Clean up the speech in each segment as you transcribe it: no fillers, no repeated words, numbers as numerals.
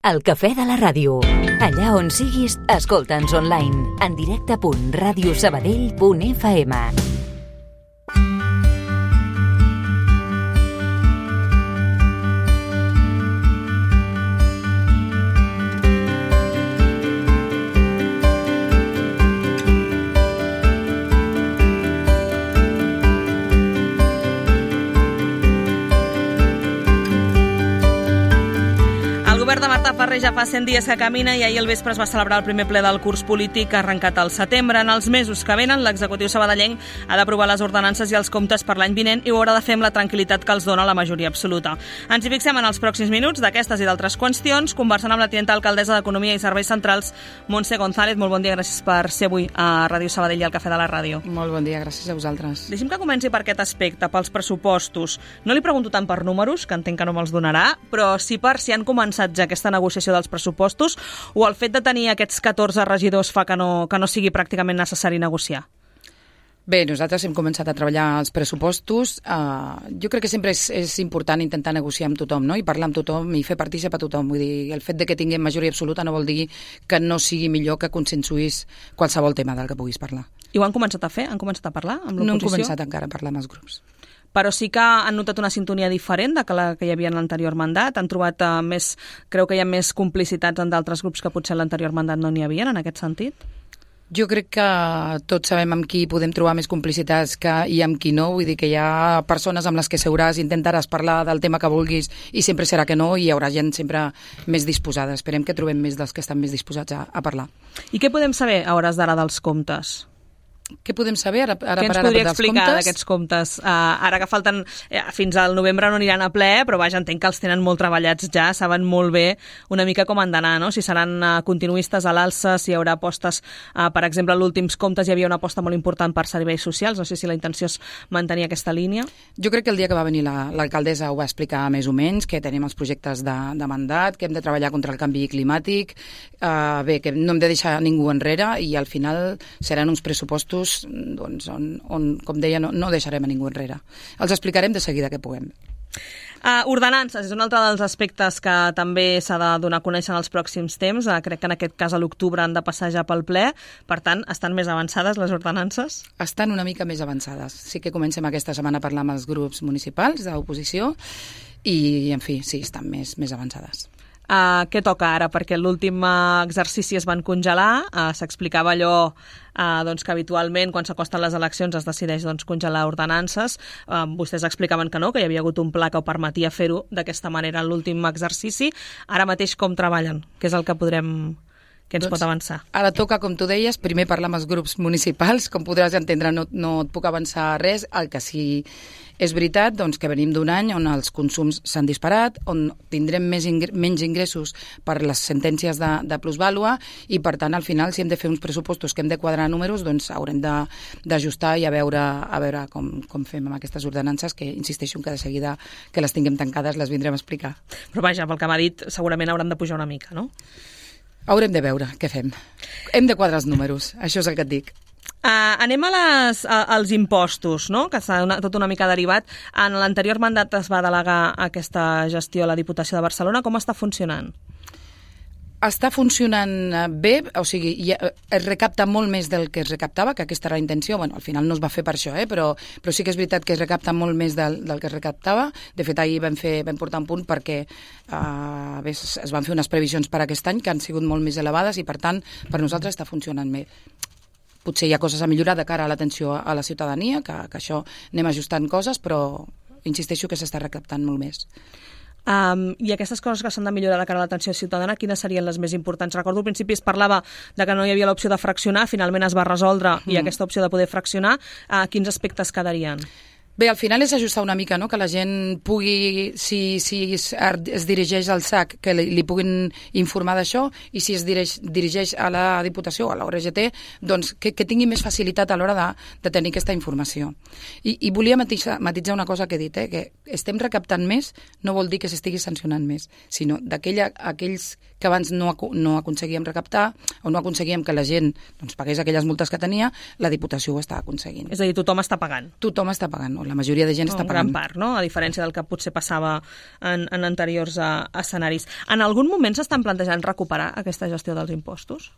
El Cafè de la Ràdio. Allà on siguis, escolta'ns online. En directe.radiosabadell.fm. El govern de Marta Ferrer ja fa 100 dies que camina i ahir al vespre es va celebrar el primer ple del curs polític arrencat al setembre. En els mesos que venen, l'executiu sabadellenc ha d'aprovar les ordenances i els comptes per l'any vinent i ho haurà de fer amb la tranquil·litat que els dona la majoria absoluta. Ens hi fixem en els pròxims minuts d'aquestes i d'altres qüestions, conversant amb la tinenta alcaldessa d'Economia i Serveis Centrals, Montse González. Molt bon dia, gràcies per ser avui a Ràdio Sabadell i al Cafè de la Ràdio. Molt bon dia, gràcies a vosaltres. Deixi'm que comenci per aquest aspecte, pels pressupostos. No li pregunto tant per números, que entenc que no me'ls donarà, però sí per si han començat ja aquesta negociació dels pressupostos o el fet de tenir aquests 14 regidors fa que no sigui pràcticament necessari negociar? Bé, nosaltres hem començat a treballar els pressupostos. Jo crec que sempre és important intentar negociar amb tothom, no? I parlar amb tothom i fer partícip a tothom. Vull dir, el fet de que tinguem majoria absoluta no vol dir que no sigui millor que consensuïs qualsevol tema del que puguis parlar. I ho han començat a fer? Han començat a parlar amb l'oposició? No hem començat encara a parlar amb els grups. Però sí que han notat una sintonia diferent de la que hi havia en l'anterior mandat? Han trobat creu que hi ha més complicitats en d'altres grups que potser en l'anterior mandat no n'hi havia en aquest sentit? Jo crec que tots sabem amb qui podem trobar més complicitats i amb qui no. Vull dir que hi ha persones amb les que seuràs, intentaràs parlar del tema que vulguis i sempre serà que no, i hi haurà gent sempre més disposada. Esperem que trobem més dels que estan més disposats a parlar. I què podem saber a hores d'ara dels comptes? Què podem saber ara per ara dels comptes? Què ens podria explicar d'aquests comptes? Ara que falten, fins al novembre no aniran a ple, però vaja, entenc que els tenen molt treballats ja, saben molt bé una mica com han d'anar, no? Si seran continuistes a l'alça, si hi haurà apostes, per exemple, en últims comptes hi havia una aposta molt important per serveis socials, no sé si la intenció és mantenir aquesta línia. Jo crec que el dia que va venir l'alcaldessa ho va explicar més o menys, que tenim els projectes de mandat, que hem de treballar contra el canvi climàtic, bé, que no hem de deixar ningú enrere i al final seran uns pressupostos doncs, on, com deia, no deixarem a ningú enrere. Els explicarem de seguida que puguem. Ordenances és un altre dels aspectes que també s'ha de donar a conèixer en els pròxims temps. Crec que en aquest cas a l'octubre han de passar ja pel ple. Per tant, estan més avançades les ordenances? Estan una mica més avançades. Sí que comencem aquesta setmana a parlar amb els grups municipals d'oposició i, en fi, sí, estan més avançades. Què toca ara? Perquè l'últim exercici es van congelar, s'explicava allò doncs, que habitualment quan s'acosten les eleccions es decideix congelar ordenances. Vostès explicaven que no, que hi havia hagut un pla que ho permetia fer-ho d'aquesta manera en l'últim exercici. Ara mateix com treballen? Què és el que ens pot avançar? Ara toca, com tu deies, primer parlar amb els grups municipals. Com podràs entendre, no et puc avançar res. El que sí és veritat, doncs, que venim d'un any on els consums s'han disparat, on tindrem menys ingressos per les sentències de plusvàlua i, per tant, al final, si hem de fer uns pressupostos que hem de quadrar números, doncs haurem d'ajustar i a veure com fem amb aquestes ordenances, que insisteixo que de seguida que les tinguem tancades les vindrem a explicar. Però vaja, pel que m'ha dit, segurament hauran de pujar una mica, no? Haurem de veure què fem. Hem de quadrar els números, això és el que et dic. Anem als impostos, no? Que està tot una mica derivat. En l'anterior mandat es va delegar aquesta gestió a la Diputació de Barcelona. Com està funcionant? Està funcionant bé, o sigui, es recapta molt més del que es recaptava, que aquesta era la intenció. Bueno, al final no es va fer per això, però sí que és veritat que es recapta molt més del que es recaptava. De fet, ahir vam portar un punt perquè es van fer unes previsions per aquest any que han sigut molt més elevades i, per tant, per nosaltres està funcionant bé. Potser hi ha coses a millorar de cara a l'atenció a la ciutadania, que això anem ajustant coses, però insisteixo que s'està recaptant molt més. I aquestes coses que s'han de millorar de cara a l'atenció ciutadana, quines serien les més importants? Recordo al principi es parlava de que no hi havia l'opció de fraccionar, finalment es va resoldre i aquesta opció de poder fraccionar, quins aspectes quedarien? Bé, al final és ajustar una mica, no? Que la gent pugui, si es dirigeix al SAC, que li puguin informar d'això, i si es dirigeix a la Diputació o a la URGT, doncs que tingui més facilitat a l'hora de tenir aquesta informació. I volia matisar una cosa que he dit, que estem recaptant més no vol dir que s'estigui sancionant més, sinó aquells que abans no aconseguíem recaptar o no aconseguíem que la gent pagués aquelles multes que tenia, la Diputació ho està aconseguint. És a dir, tothom està pagant. Tothom està pagant. la majoria de gent està pagant. En gran part, no? A diferència del que potser passava en anteriors escenaris. En algun moment s'estan plantejant recuperar aquesta gestió dels impostos?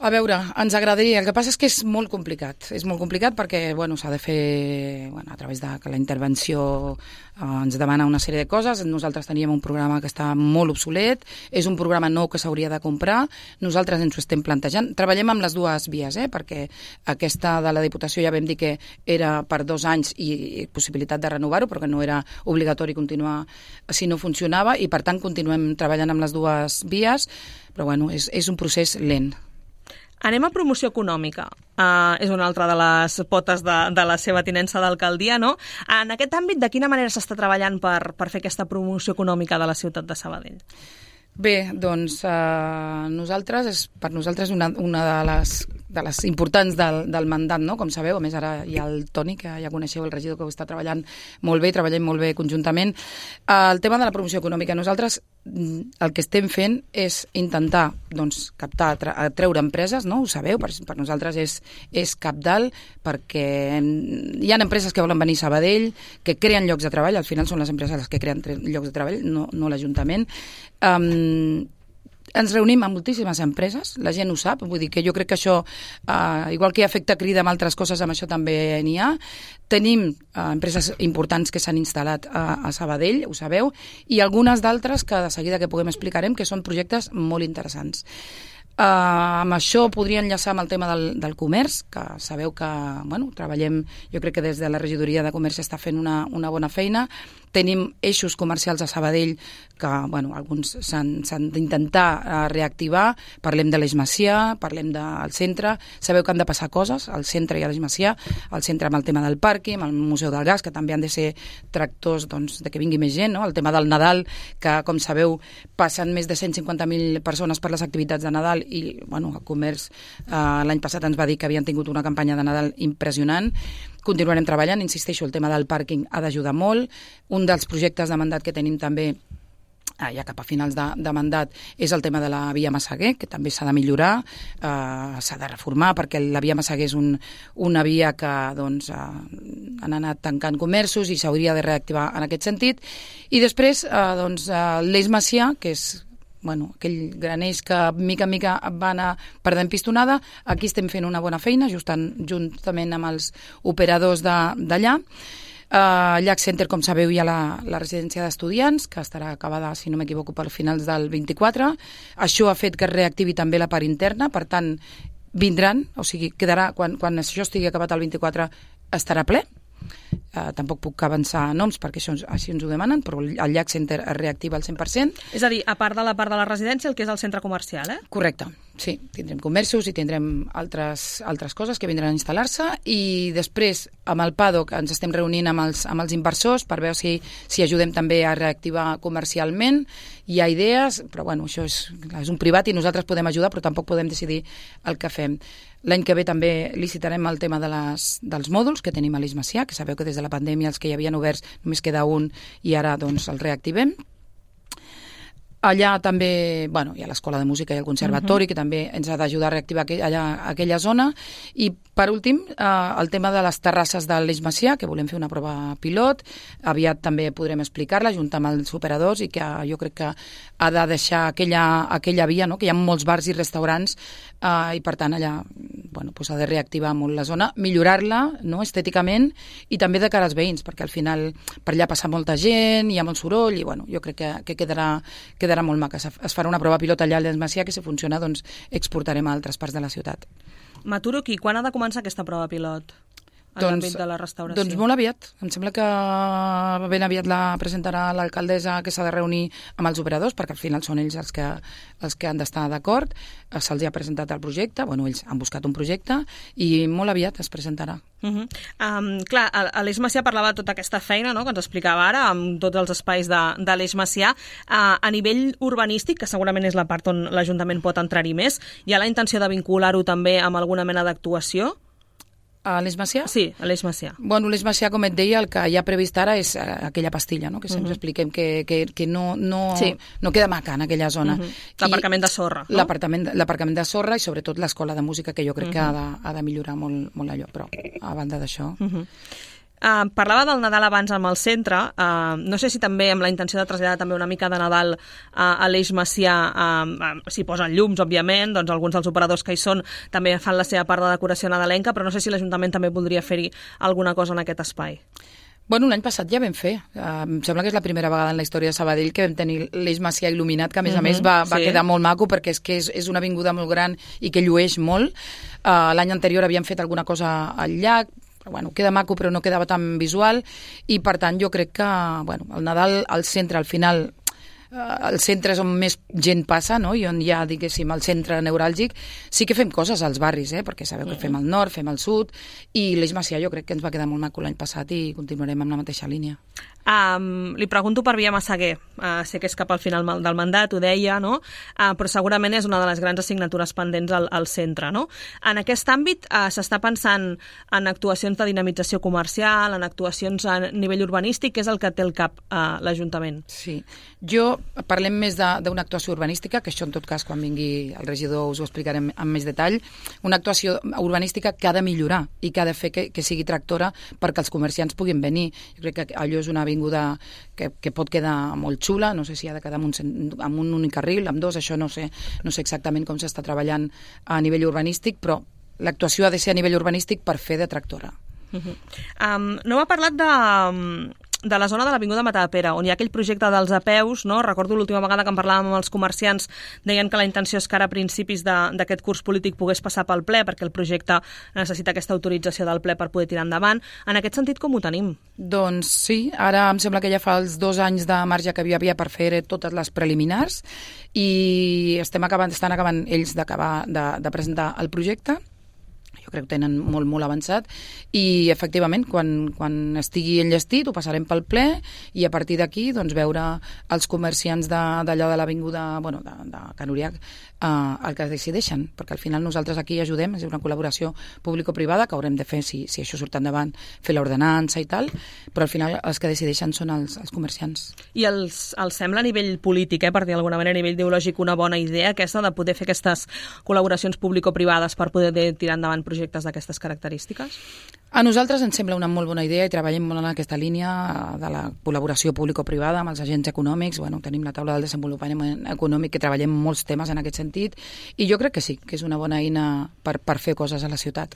A veure, ens agradaria. El que passa és que és molt complicat. És molt complicat perquè s'ha de fer a través de que la intervenció ens demana una sèrie de coses. Nosaltres teníem un programa que està molt obsolet, és un programa nou que s'hauria de comprar. Nosaltres ens ho estem plantejant. Treballem amb les dues vies, perquè aquesta de la Diputació ja vam dir que era per 2 anys i possibilitat de renovar-ho, però que no era obligatori continuar si no funcionava, i per tant continuem treballant amb les dues vies, però és un procés lent. Anem a promoció econòmica. És una altra de les potes de la seva tinença d'alcaldia, no? En aquest àmbit, de quina manera s'està treballant per fer aquesta promoció econòmica de la ciutat de Sabadell? Bé, doncs per nosaltres una de les importants del mandat, no? Com sabeu, a més ara hi ha el Toni, que ja coneixeu, el regidor, que ho està treballant molt bé, treballem molt bé conjuntament. El tema de la promoció econòmica, nosaltres el que estem fent és intentar captar, atreure empreses, no? Ho sabeu, per nosaltres és cabdal, perquè hi ha empreses que volen venir a Sabadell, que creen llocs de treball, al final són les empreses les que creen llocs de treball, no l'Ajuntament. Ens reunim amb moltíssimes empreses, la gent ho sap, vull dir que jo crec que això, igual que hi ha efecte crida amb altres coses, amb això també n'hi ha. Tenim empreses importants que s'han instal·lat a Sabadell, ho sabeu, i algunes d'altres que de seguida que puguem explicarem, que són projectes molt interessants. Amb això podria enllaçar amb el tema del comerç, que sabeu que treballem, jo crec que des de la regidoria de comerç està fent una bona feina. Tenim eixos comercials a Sabadell que alguns s'han d'intentar reactivar. Parlem de l'Eix Macià, parlem del centre. Sabeu que han de passar coses al centre i a l'Eix Macià, al centre amb el tema del pàrquing, amb el Museu del Gas, que també han de ser tractors de que vingui més gent, no? El tema del Nadal, que com sabeu passen més de 150.000 persones per les activitats de Nadal, i el comerç l'any passat ens va dir que havien tingut una campanya de Nadal impressionant. Continuarem treballant, insisteixo, el tema del pàrquing ha d'ajudar molt. Un dels projectes de mandat que tenim també, ja cap a finals de mandat, és el tema de la via Massaguer, que també s'ha de millorar, s'ha de reformar, perquè la via Massaguer és una via que han anat tancant comerços i s'hauria de reactivar en aquest sentit. I després l'Eix Macià, que és aquell gran eix que mica en mica va anar perdent pistonada. Aquí estem fent una bona feina, juntament amb els operadors d'allà. Llac Center, com sabeu, hi ha la residència d'estudiants, que estarà acabada, si no m'equivoco, per finals del 24. Això ha fet que es reactivi també la part interna, per tant, vindran, o sigui, quedarà, quan això estigui acabat el 24, estarà ple. Tampoc puc avançar noms perquè així ens ho demanen, però el Llac Center es reactiva al 100%. És a dir, a part de la part de la residència, el que és el centre comercial, Correcte, sí. Tindrem comerços i tindrem altres coses que vindran a instal·lar-se, i després amb el PADOC ens estem reunint amb els inversors per veure si ajudem també a reactivar comercialment. Hi ha idees, però això és un privat i nosaltres podem ajudar, però tampoc podem decidir el que fem. L'any que ve també licitarem el tema dels mòduls que tenim a l'Eix Macià, que sabeu que des de la pandèmia els que hi havien oberts només queda un i ara el reactivem. Allà també hi ha l'Escola de Música i el Conservatori, que també ens ha d'ajudar a reactivar aquella zona. I, per últim, el tema de les terrasses de l'Eix Macià, que volem fer una prova pilot. Aviat també podrem explicar-la, junt amb els operadors, i que jo crec que ha de deixar aquella via, no? Que hi ha molts bars i restaurants, i per tant allà s'ha de reactivar molt la zona, millorar-la, no, estèticament, i també de cara als veïns, perquè al final per allà passa molta gent, hi ha molt soroll, i jo crec que quedarà molt maca. Es farà una prova pilot allà a l'Eix Macià, que si funciona exportarem a altres parts de la ciutat. M'aturo aquí. Quan ha de començar aquesta prova pilot en l'àmbit de la restauració? Doncs molt aviat. Em sembla que ben aviat la presentarà l'alcaldessa, que s'ha de reunir amb els operadors, perquè al final són ells els que han d'estar d'acord. Se'ls ha presentat el projecte, ells han buscat un projecte, i molt aviat es presentarà. Clar, a l'Eix Macià parlava de tota aquesta feina, no?, que ens explicava ara, amb tots els espais de l'Eix Macià. A nivell urbanístic, que segurament és la part on l'Ajuntament pot entrar-hi més, hi ha la intenció de vincular-ho també amb alguna mena d'actuació? A l'Eix Macià? Sí, a l'Eix Macià. L'Eix Macià, com et deia, el que hi ha previst ara és aquella pastilla, no?, que sempre expliquem que no queda maca en aquella zona. L'aparcament de sorra, no? L'aparcament de sorra, i sobretot l'escola de música, que jo crec que ha de millorar molt allò, però a banda d'això... Parlava del Nadal abans amb el centre, no sé si també amb la intenció de traslladar també una mica de Nadal a l'Eix Macià, s'hi posen llums, òbviament, doncs alguns dels operadors que hi són també fan la seva part de decoració nadalenca, però no sé si l'Ajuntament també voldria fer-hi alguna cosa en aquest espai. Bueno, l'any passat ja vam fer. Em sembla que és la primera vegada en la història de Sabadell que vam tenir l'Eix Macià il·luminat, que a més va quedar molt maco perquè és una avinguda molt gran i que llueix molt. L'any anterior havíem fet alguna cosa al llac, bueno, queda maco però no quedava tan visual i per tant jo crec que el Nadal al centre al final el centre és on més gent passa, no? I on hi ha, diguéssim, el centre neuràlgic. Sí que fem coses als barris, perquè sabeu que fem al nord, fem al sud, i l'Eix Macià jo crec que ens va quedar molt maco l'any passat i continuarem amb la mateixa línia. Li pregunto per Via Massaguer. Sé que és cap al final del mandat, ho deia, no? Però segurament és una de les grans assignatures pendents al centre, no? En aquest àmbit s'està pensant en actuacions de dinamització comercial, en actuacions a nivell urbanístic, que és el que té al cap l'Ajuntament. Sí. Parlem més d'una actuació urbanística, que això en tot cas quan vingui el regidor us ho explicarem amb més detall, una actuació urbanística que ha de millorar i que ha de fer que sigui tractora perquè els comerciants puguin venir. Jo crec que allò és una avinguda que pot quedar molt xula, no sé si ha de quedar amb un únic carril, amb dos, això no sé exactament com s'està treballant a nivell urbanístic, però l'actuació ha de ser a nivell urbanístic per fer de tractora. No m'ha parlat de la zona de l'Avinguda Matadepera, on hi ha aquell projecte dels apeus, no? Recordo l'última vegada que en parlàvem amb els comerciants, deien que la intenció és que ara a principis d'aquest curs polític pogués passar pel ple, perquè el projecte necessita aquesta autorització del ple per poder tirar endavant. En aquest sentit, com ho tenim? Doncs sí, ara em sembla que ja fa els 2 anys de marge que hi havia per fer totes les preliminars i estan acabant ells de presentar el projecte. Jo crec que tenen molt, molt avançat i efectivament quan estigui enllestit ho passarem pel ple i a partir d'aquí doncs veure els comerciants d'allò de l'avinguda de Can Uriach el que decideixen, perquè al final nosaltres aquí ajudem, és una col·laboració público-privada que haurem de fer si això surt endavant, fer l'ordenança i tal, però al final els que decideixen són els comerciants. I els sembla a nivell polític, per dir d'alguna manera, a nivell ideològic, una bona idea aquesta de poder fer aquestes col·laboracions público-privades per poder tirar endavant projectes d'aquestes característiques? A nosaltres ens sembla una molt bona idea i treballem molt en aquesta línia de la col·laboració público-privada amb els agents econòmics. Tenim la taula del desenvolupament econòmic que treballem molts temes en aquest sentit i jo crec que sí, que és una bona eina per fer coses a la ciutat.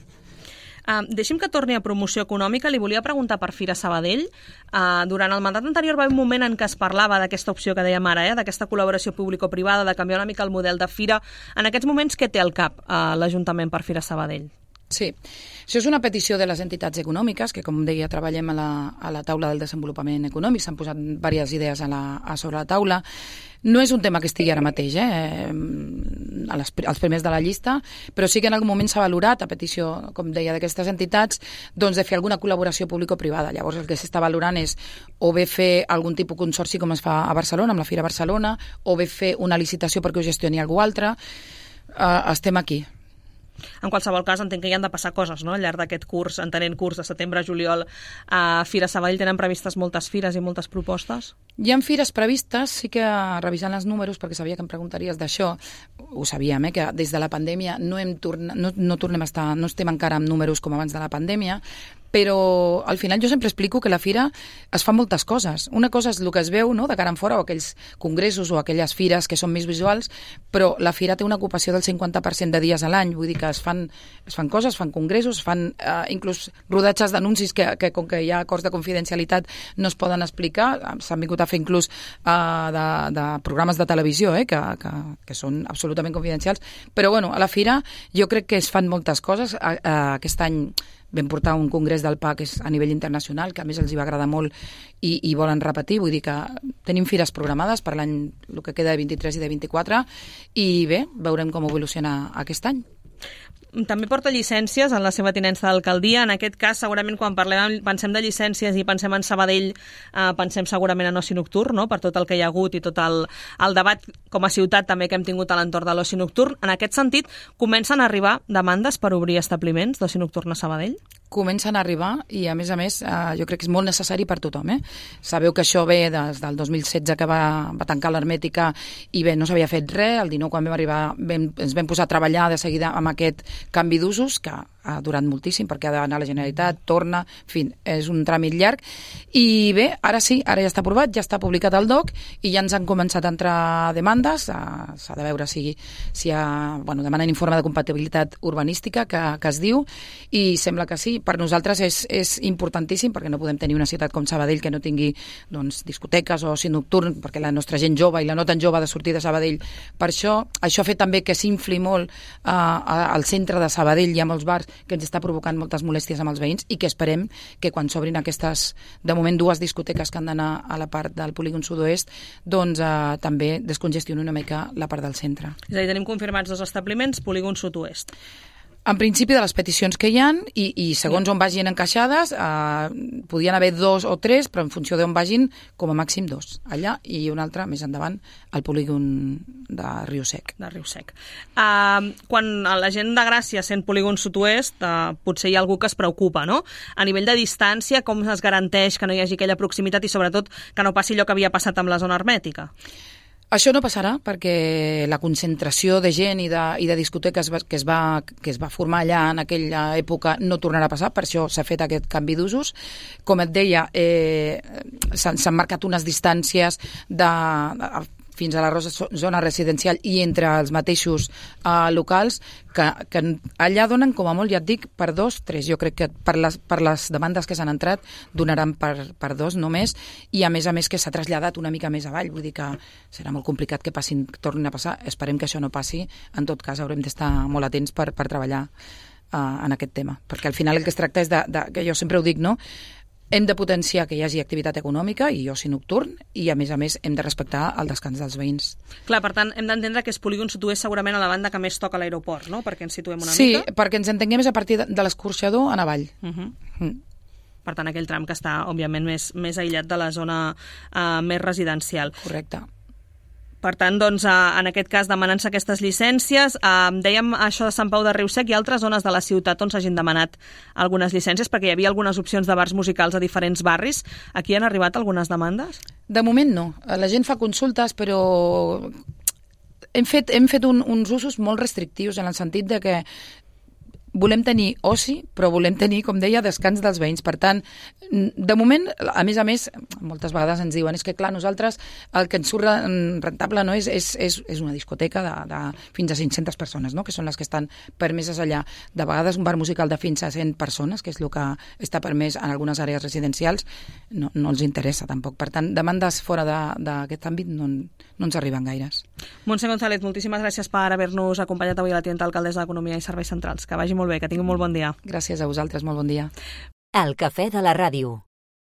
Deixi'm que torni a promoció econòmica. Li volia preguntar per Fira Sabadell. Durant el mandat anterior va haver un moment en què es parlava d'aquesta opció que dèiem ara, d'aquesta col·laboració público-privada, de canviar una mica el model de fira. En aquests moments, què té al cap l'Ajuntament per Fira Sabadell? Sí, això és una petició de les entitats econòmiques, que com deia treballem a la taula del desenvolupament econòmic, s'han posat diverses idees sobre la taula. No és un tema que estigui ara mateix, als primers de la llista, però sí que en algun moment s'ha valorat, a petició, com deia, d'aquestes entitats, doncs de fer alguna col·laboració público-privada. Llavors el que s'està valorant és o bé fer algun tipus de consorci com es fa a Barcelona, amb la Fira Barcelona, o bé fer una licitació perquè ho gestioni algú altre. Estem aquí. En qualsevol cas, entenc que hi han de passar coses, no?, al llarg d'aquest curs, entenent curs de setembre a juliol. A Fira Sabadell tenen previstes moltes fires i moltes propostes? Hi ha fires previstes, sí que revisant els números, perquè sabia que em preguntaries d'això, ho sabíem, que des de la pandèmia no estem encara amb números com abans de la pandèmia, però al final jo sempre explico que la fira es fa moltes coses. Una cosa és el que es veu, no?, de cara en fora, o aquells congressos o aquelles fires que són més visuals, però la fira té una ocupació del 50% de dies a l'any, vull dir que es fan coses, es fan congressos, es fan inclús rodatges d'anuncis que com que hi ha acords de confidencialitat no es poden explicar, s'han vingut a fer inclús de programes de televisió que són absolutament confidencials, però a la fira jo crec que es fan moltes coses. Aquest any vam portar un congrés del PA que és a nivell internacional, que a més els hi va agradar molt i volen repetir, vull dir que tenim fires programades per l'any, el que queda de 23 i de 24, i bé, veurem com evoluciona aquest any. També porta llicències en la seva tinença d'alcaldia. En aquest cas, segurament, quan pensem de llicències i pensem en Sabadell, pensem segurament en oci nocturn, no?, per tot el que hi ha hagut i tot el debat com a ciutat també que hem tingut a l'entorn de l'oci nocturn. En aquest sentit, comencen a arribar demandes per obrir establiments d'oci nocturn a Sabadell? Comencen a arribar i, a més, jo crec que és molt necessari per tothom. Sabeu que això ve des del 2016 que va tancar l'hermètica i bé, no s'havia fet res. El 19, quan vam arribar, ens vam posar a treballar de seguida amb aquest canvi d'usos, que ha durat moltíssim perquè ha d'anar a la Generalitat, torna, en fi, és un tràmit llarg. I bé, ara sí, ara ja està aprovat, ja està publicat el DOC i ja ens han començat a entrar demandes, s'ha de veure si hi ha, demanen informe de compatibilitat urbanística que es diu, i sembla que sí. Per nosaltres és importantíssim perquè no podem tenir una ciutat com Sabadell que no tingui discoteques o oci nocturn, perquè la nostra gent jove i la no tan jove ha de sortir de Sabadell. Per això ha fet també que s'infli molt al centre de Sabadell. Hi ha molts bars que ens està provocant moltes molèsties amb els veïns i que esperem que quan s'obrin aquestes, de moment, 2 discoteques que han d'anar a la part del polígon sud-oest, també descongestioni una mica la part del centre. És a dir, tenim confirmats 2 establiments, polígon sud-oest. En principi, de les peticions que hi ha, i segons on vagin encaixades, podien haver 2 o 3, però en funció d'on vagin, com a màxim 2, allà, i un altre, més endavant, al polígon de Riu Sec. De Riu Sec. Quan la gent de Gràcia sent polígon sud-oest, potser hi ha algú que es preocupa, no? A nivell de distància, com es garanteix que no hi hagi aquella proximitat i, sobretot, que no passi allò que havia passat amb la zona hermètica? Això no passarà perquè la concentració de gent i de discoteques que es va formar allà en aquella època no tornarà a passar, per això s'ha fet aquest canvi d'usos. Com et deia, s'han marcat unes distàncies fins a la zona residencial i entre els mateixos locals que allà donen com a molt, ja et dic, per 2, 3. Jo crec que per les demandes que s'han entrat donaran per 2 només, i a més que s'ha traslladat una mica més avall. Vull dir que serà molt complicat que tornin a passar. Esperem que això no passi. En tot cas, haurem d'estar molt atents per treballar en aquest tema, perquè al final el que es tracta és que jo sempre ho dic, no? Hem de potenciar que hi hagi activitat econòmica i oci nocturn, i a més hem de respectar el descans dels veïns. Clar, per tant, hem d'entendre que és polígon sud-oest segurament a la banda que més toca l'aeroport, no? Perquè ens situem una mica. Sí, perquè ens entenguem és a partir de l'escorxador en avall. Per tant, aquell tram que està, òbviament, més aïllat de la zona més residencial. Correcte. Per tant, doncs, en aquest cas, demanant-se aquestes llicències, dèiem això de Sant Pau de Riu Sec, i altres zones de la ciutat on s'hagin demanat algunes llicències, perquè hi havia algunes opcions de bars musicals a diferents barris. Aquí han arribat algunes demandes? De moment no. La gent fa consultes, però hem fet uns usos molt restrictius, en el sentit de que volem tenir oci, però volem tenir, com deia, descans dels veïns. Per tant, de moment, a més, moltes vegades ens diuen, és que clar, nosaltres el que ens surt rentable no és una discoteca de fins a 500 persones, no? Que són les que estan permeses allà. De vegades un bar musical de fins a 100 persones, que és el que està permès en algunes àrees residencials, no els interessa tampoc. Per tant, demandes fora d'aquest àmbit no ens arriben gaires. Montse González, moltíssimes gràcies per haver-nos acompanyat avui a la tinenta alcaldessa d'Economia i Serveis Centrals. Que vagi molt bé, que tingui un molt bon dia. Gràcies a vosaltres, molt bon dia. El cafè de la ràdio.